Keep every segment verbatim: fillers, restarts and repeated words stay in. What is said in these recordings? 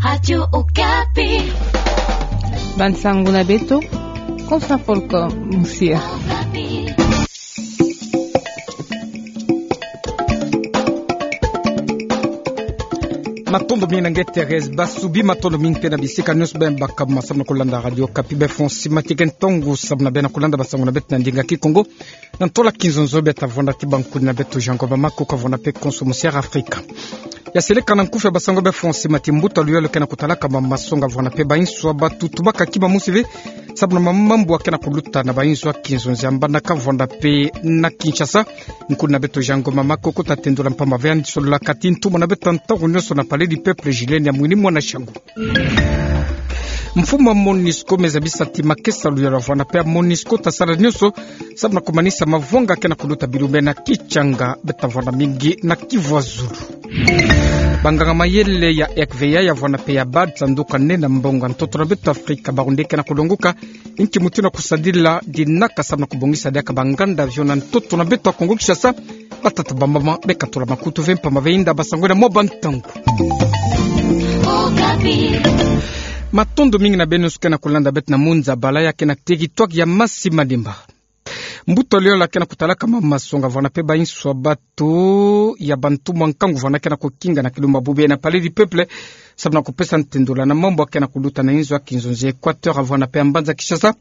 Radio Okapi. Bansangu na beto, Konsa Folko Musia. Matondo mingi na nge Thérèse Basubi, matondo mingi mpe na bisika nionso beno baka ma samu na kulanda Radio Okapi. Befo nsi mati ke ntongo samu na beno kulanda bansangu na beto na ndinga Kikongo. Na ntola Kinzonzo beta vwanda ti bankuni na beto Jean Ngoma Makoko, ka vwanda mpe Konso Musia Afrika. Ya seleka na nkufi ya bansangu, befo nsi mati mbuta luyalu ke na kutalaka mama masonga vwanda mpe bainso ya batu, tubaka kima mosi ve samu na mama mambu ya ke na kuluta na bainso ya Kinzonzo ya mbanda, ka vwanda mpe na Kinshasa. Nkuni na beto Jean Ngoma Makoko ta tendula mpamba ve yandi solola kati ntumwa na beto ntangu nionso na Palais du Peuple, Ghislaine Amwini, mwana Shangu. Mfumu ya MONUSCO me zabisa ti makesa luyalu ya vwanda mpe ya MONUSCO ta sala nionso samu na kumanisa mavwanga ke na kuluta bilumbu na Kichanga, beta vwanda mingi na Kivu ya Zulu. Banganga mayele ya R V A ya vwanda mpe ya BAD, sanduku nene ya mbongo ya ntoto na beto Afrika, bawu nde ke na kulongoka inki mutindu ya kusadila dinaka samu na kubongisa diaka banganda avion na ntoto na beto ya Kongo Kinshasa. Batata bamama, beka tula makutu ve mpamba ve, inda bansangu na mwa bantangu. Matondo mingi na beno nsi ke na kulanda beto na Munza Bala ya ke na territoire ya Masi Madimba. Mbuta luyalu ya ke na kutalaka mama masonga vwanda mpe bainso ya batu ya bantumwa nkangu vwanda ke na kukinga na kilumbu ya bubu yayi na Palais du Peuple samu na kupesa ntendula na mambu ya ke na kuluta na inzo ya Kinzonzo ya Équateur, vwanda mpe ya mbanza Kinshasa.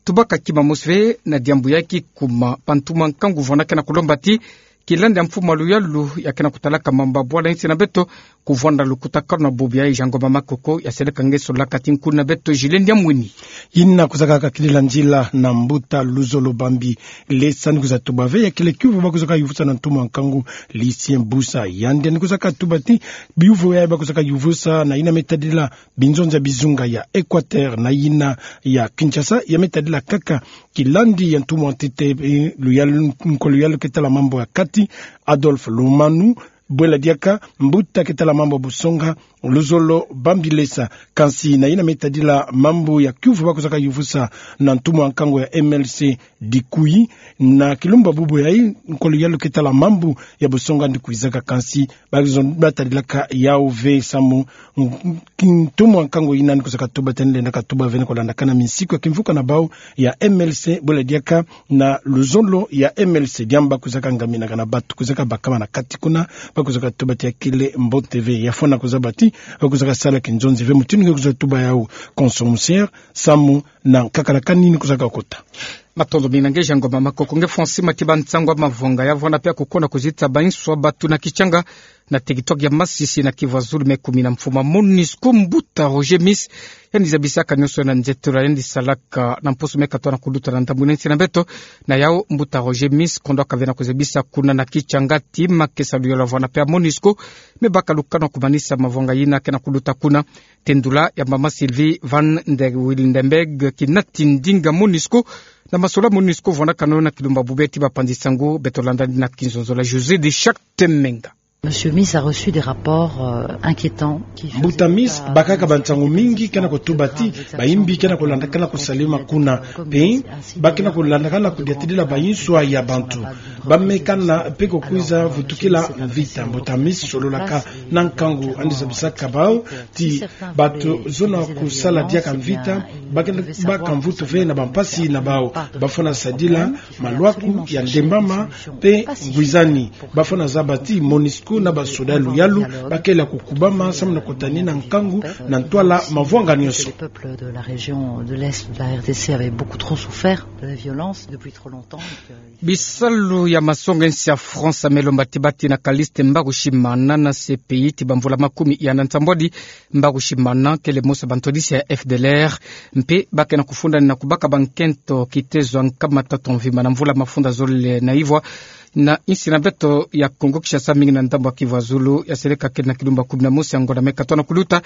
Tubaka kima mosi ve na diambu ya kikuma, bantumwa nkangu vwanda ke na kulomba ti kilandi ya mfumu ya luyalu ya ke na kutalaka mambu ya bwala insi na beto, kuvwanda lukutakanu na bubu yayi. Jean Ngoma Makoko ya seleka nge solola kati, nkuni na beto Ghislaine Amwini. Yina kuzaka kakilila nzila na mbuta Luzolo Bambi Lesa, ni kwiza tuba ve ya kele kiuvu ba kwizaka yuvusa na ntumwa nkangu Lucien Busa. Yandi ni kwiza katuba ti biuvu yayi ba kwizaka yuvusa na yina me tadila binzonzi ya bizunga ya Équateur na yina ya Kinshasa, ya me tadila kaka kilandi ya ntumwa ntete, eh, luyalu, nkwa luyalu ke tala mambu ya kati, Adolphe Lumanu, bwela diaka mbuta ke tala mambu ya busonga, Luzolo Bambi Lesa. Kansi na yina me tadila mambu ya kiuvu ba kwizaka yuvusa na ntumwa nkangu ya M L C Dikuyi, na kilumbu ya bubu yayi, nkwa luyalu ke tala mambu ya busonga ndi kwizaka, kansi ba kwiza, ba tadilaka yawu ve samu ntumwa nkangu yina ni kwiza katuba ti yandi lenda katuba ve ni kulandakana minsiku ya kimvuka na bawu ya M L C, bwela diaka na luzolo ya M L C, diambu ba kwizaka ngaminaka na batu kwizaka bakama na kati kuna, ba kwizaka tuba ti ya kele mbote ve. Ya fwana kuzaba ti ba kwizaka sala kinzonzi ve. Mutindu nge kwiza tuba yawu, Konso Musia, samu na nkakala kani ni kwizaka kota. Matondo mingi na nge Jean Ngoma Makoko. Nge fwa nsi mati bansangu ya mavwanga ya vwanda pia kukona kuzitisa bainso ya batu na Kichanga, na territoire ya Masisi na Kivu ya Zulu, me kumi na mfumu ya MONUSCO, mbuta Roger Miss, yandi zabisaka nionso na nzietolo yandi salaka na mposo me katoa na kuluta na ndambu na nsi na beto. Na yawu mbuta Roger Miss, kondwaka ve na kuzabisa kuna na Kichanga ti makesa luyolo ya vwanda pia MONUSCO me baka lukanu ya kumanisa mavwanga yina ke na kuluta kuna. Tendula ya mama Sylvie van der Wildenberg, kinati ndinga MONUSCO, na masolo MONUSCO vwandakano na kilumbu ya bubu ti bapanzi nsangu, beto landa na kinzonzo na José de Charte Menga. Monsieur Miss a reçu des rapports, euh, inquiétants qui faisaient état de... Mbuta Miss bakaka bansangu mingi ke na kutuba ti bayimbi ke na kulandakana kusalema kuna, pe ba ke na kulandakana kudiatidila bainso ya bantu. Ba me kana pe kukwiza vutukila mvita. Mbuta Miss sololaka na nkangu yandi zabisaka bawu ti bato zona kusala diaka mvita, ba ke na, ba ka mvutu ve na bampasi na bawu. Ba fwana sadila malwaku ya ndembama pe ngwizani. Ba fwana zaba ti MONUSCO na basoda luyalu ba kele ya kukubama samu na kutani na nkangu na ntwala mavwanga nionso. Les peuples de la région de l'Est de la R D C avaient beaucoup trop souffert de la violence depuis trop longtemps, et que... Bisalu ya masonga nsi ya France me lomba ti batina Callixte Mbarushimana na C P I ti bamvula makumi ya na nsambwadi. Mbarushimana kele mosi ya bantwadisi ya F D L R, mpe ba ke na kufundani na kubaka bankento kitezo ya nkama tatu ya mvimba na mvula mafunda zole na ivwa na nsi na beto ya Kongo Kinshasa, mingi na ndambu ya Kivu ya Zulu. Ya seleka kele na kilumbu ya kumi na mosi ya ngonda me katoa na kuluta.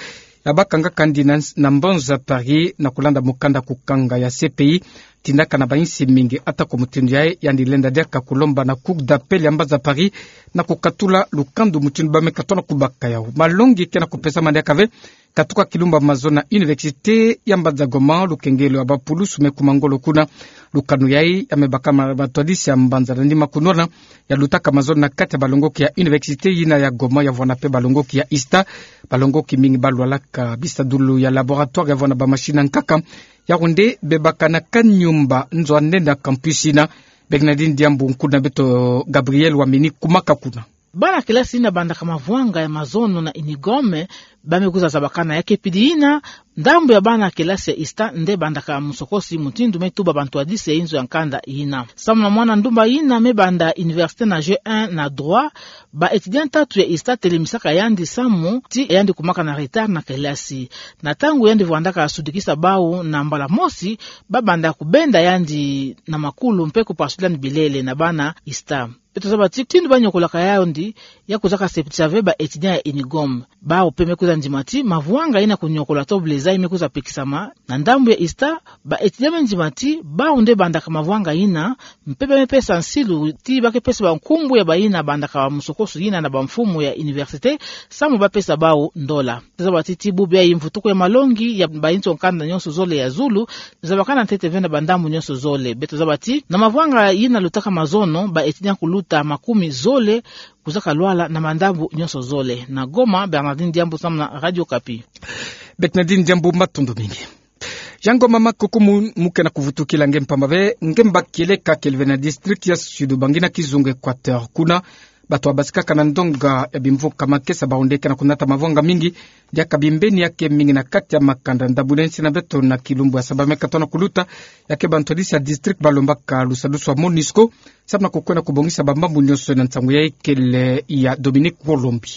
Ya bakanga kandi na, na mbanza Paris na kulanda mukanda kukanga ya C P I. tindaka na bainsi mingi. Atako mutindu yayi, yandi lenda diaka kulomba na Cour d'appel ya mbanza Paris na kukatula lukandu mutindu bameka tona kubaka yawu. Malongi ke na kupesama diaka ve, katuka kilumbu ya mazono na université ya mbanza Goma, lukengelo ya bapulusu me kuma ngolo kuna. Lukanu yayi ya mebaka ma-, matwadisi ya mbanza na nima kunwana, yalutaka mazono na kati ya balongoki ya université yina ya Goma, ya vwanda pe balongoki ya ISTA. Balongoki mingi balwalaka bisadulu ya laboratoire ya vwanda bamachine ya nkaka. Yawu nde bebaka na kanyumba nzo ya nene ya campus yina. Bernardine Diambu, nkuna beto Gabriel Wamini, kumaka kuna. Bana kelasi yina bandaka mavwanga ya mazono na Unigom, bame kwiza zabakana. Ya kepidi yina, ndambu ya bana kelasi ya ISTA nde bandaka musokosi mutindu me tuba bantwadisi ya inzo ya nkanda yina. Samu na mwana ndumba yina me banda université na G un na droit, ba étudiant tatu ya ISTA telemisaka yandi samu ti yandi kumaka na retard na kelasi. Na ntangu yandi vwandaka sudikisa bawu, na mbala mosi, babanda kubenda yandi na makulu mpe kupasula yandi bilele na bana ISTA. Beto zaba ti mutindu banyokolaka yandi, ya kwizaka septisa ve ba étudiant ya Unigom. Bawu pe me kwiza ndima ti mavwanga yina kunyokola to bleza yi me kwiza pekisama na ndambu ya ISTA. Ba étudiant me ndima ti bawu nde bandaka mavwanga yina, mpe bame pesa nsilu ti ba ke pesa bankumbu ya bayina bandaka musokosi yina na bamfumu ya université, samu bapesa bawu ndola. Zaba ti ti bubu yayi mvutuku ya malongi ya bainzo nkanda nyonso zole ya zulu zabakana ntete ve na bandambu nyonso zole. Beto zaba ti na mavwanga yina lutaka mazono, ba étudiant kuluta makumi zole kwizaka lwala na mandambu nyonso zole. Na Goma, Bernardine Diambu samu na Radio Okapi. Bernardine Diambu, matondo mingi. Yangoma makuku mu-, mu ke na kuvutukila nge mpamba ve, nge mba kieleka kiele ve na district ya Sud-Ubangi na kizunga Equateur. Kuna, bato babasikaka na ndonga ya bimvuka makesa, bawu nde ke na kunata mavwanga mingi, diaka bimbeni ya ke mingi na kati ya makanda. Ndambu nene sina beto na kilumbu ya saba meka tona kuluta, ya ke bantwadisi ya district balombaka lusadusu ya MONUSCO, samu na kukwenda kubongisa bamambu nyonso. Na nsangu ya ekele ya Dominique Wolombi.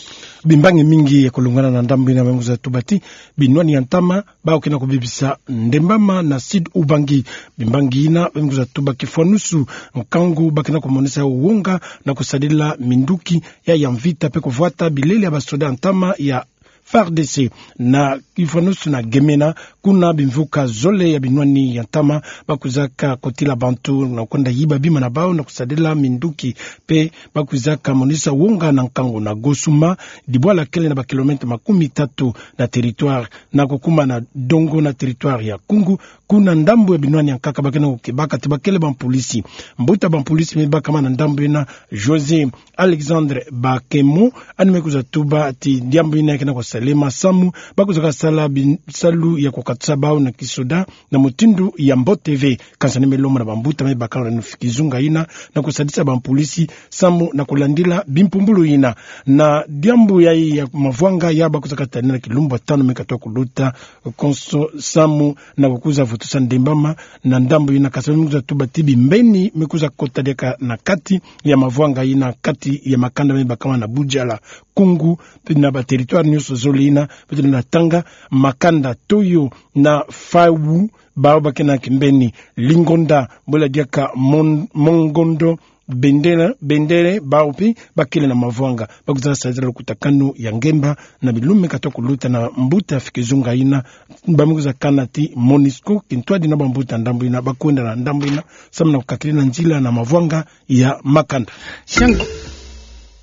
Bimbangi mingi ya kulungana na ndambu yina, bame kwiza tuba ti binwani ya ntama, bawu ke na kubibisa ndembama na Sud-Ubangi. Bimbangi yina, bame kwiza tuba kifwanusu nkangu ba ke na kumonisa wonga na kusadila minduki ya, ya mvita mpe kuvwata bilele ya basoda ya ntama ya FARDC. Na kifwanusu na Gemena, kuna bimvuka zole ya binwani ya ntama ba kwizaka kotila bantu na kwenda yiba bima na bawu na kusadila minduki, mpe ba kwizaka monisa wonga na nkangu. Na Gosuma, dibwala kele na ba kilomètre makumi tatu na territoire, na kukuma na Dongo na territoire ya Koungou, kuna ndambu ya binwani ya nkaka ba ke na kukebaka ti ba kele bampolisi. Mbuta bampolisi me bakama na ndambu yina, José Alexandre Bakemo, yandi me kwiza tuba ti diambu yina ya ke na kusalema samu ba kwizaka sala bisalu ya kukatusa bawu na kisoda na mutindu ya mbote ve. Kansi yandi me lomba na bambuta me bakala na kizunga yina na kusadisa bampolisi samu na kulandila bimpumbulu yina. Na diambu yayi ya mavwanga ya ba kwizaka tadila na kilumbu ya tanu meka twa kuluta konso samu na kukwiza vutusa ndembama na ndambu yina, kansi me kwiza tuba ti bimbeni me kwiza kota diaka na kati ya mavwanga yina, kati ya makanda me bakama na Boudiala, Koungou, na ba territoire nyonso zole yina, beto na tanga makanda Toyo na Faou, bawu ba ke na kimbeni, Lingonda, bola diaka Mon-, Mongondo, Bendele, Bendele, bawu mpe ba kele na mavwanga. Ba kwizaka sadila lukutakanu ya ngemba na bilumbu meka twa kuluta na mbuta ya kizunga yina, ba me kwiza kana ti MONUSCO, kintwadi na bambuta ndambu yina, ba kwenda na ndambu yina samu na kukakiri na nzila na mavwanga ya makanda. Jean,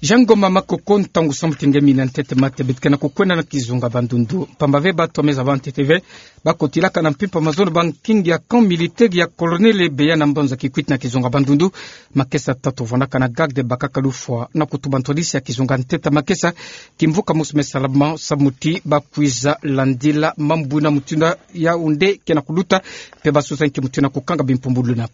Jean Ngoma Makoko, ntangu samu ti nge mina ntete mate, beto ke na kukwenda na kizunga Bandundu. Mpamba ve bato me zaba ntete ve, ba kotilaka na mpimpa mazono bankingi ya camp militaire ya Colonel Ebeya na mbanza Kikwit na kizunga Bandundu. Makesa tatu vandaka na garde bakaka lufwa na kutuba ntwadisi ya kizunga ntete makesa, kimvuka mosi me salama samu ti ba kwiza landila mambu na mutindu yawu nde ke na kuluta, mpe ba sosa nki mutindu na kukanga bimpumbulu yina.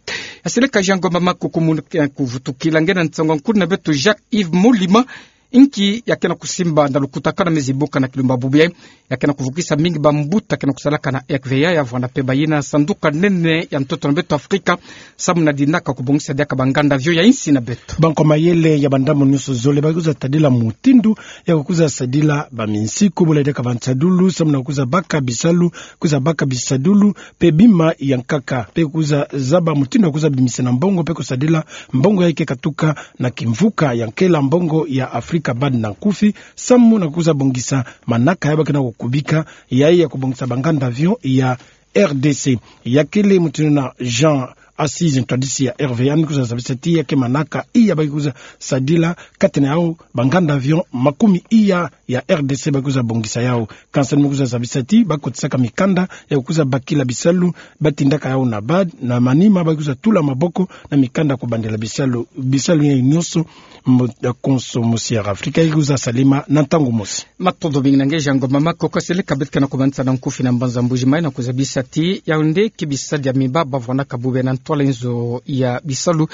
Ya seleka Jean Ngoma Makoko, mu ke na kuvutukila nge na nsangu ya nkulu na beto Jacques Yves Molima, inki ya ke na kusimba na lukutakanu me zibuka na kilumbu ya bubu yayi, ya ke na kuvukisa mingi bambuta ke na kusalaka na R V A, ya vwanda mpe bayina sanduka nene ya ntoto na beto Afrika, samu na dinaka kubongisa diaka banganda avion ya insi na beto. Bankwa mayele ya bandambu nyonso zole ba kwiza tadila mutindu ya kukwiza sadila baminsiku, bola diaka bansadulu, samu na kwiza baka bisalu, kwiza baka bisadulu, mpe bima ya nkaka, mpe kwiza zaba mutindu ya kwiza bimisa na mbongo, mpe kusadila mbongo yayi ke katuka na kimvuka ya nkela mbongo ya Afrika, BAD na nkufi, samu na kwiza bongisa manaka ya ba ke na kukubika, yayi ya kubongisa banganda avion ya R D C. Ya kele mutindu na Jean Assises ntwadisi ya R V A ni kwiza zabisa ti ya ke manaka iya ba kwiza sadila katene au banganda avion makumi iya ya R D C ba kwiza bongisa yau. Kansa ni me kwiza zabisa ti ba kotisaka mikanda ya kwiza bakila bisalu, ba tindaka yau na bad na manima ba kwiza tula maboko na mikanda ya kubandela bisalu, bisalu ya nyonso. Mo-, eh, Konso Mosiara Afrika ya kwiza salima na ntangu mosi. Matondo mingi na nge Jean Ngoma Makoko. Seleka beto ke na kumanisa na nkufi na mbanza Mbuji-Mayi na kuzabisa ti yau nde ki bisalu ya mibaba vwanaka bube na ntwala nzo ya bisalu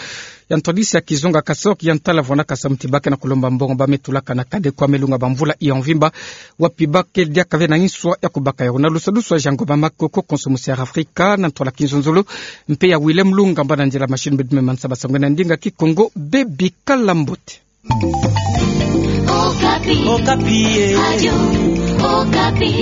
ya ntwadisi ya kizunga, kasok ya ntala vwanaka samu ti ba ke na kulomba mbongo ba me tulaka na kade kwa melunga ba mvula ya mvimba, wapi ba ke diaka ve na nswa ya kubaka yau. Na lusadusu wa Jean Ngoma Makoko, Konso Mosiara Afrika, na ntwala kinzonzolo, mpe ya Willem Lunga mba na nzila machine, beto me manisa ba sangwe na ndinga Kikongo. Bebikala mbote. Okapi. Okapi, eh. Radio Okapi.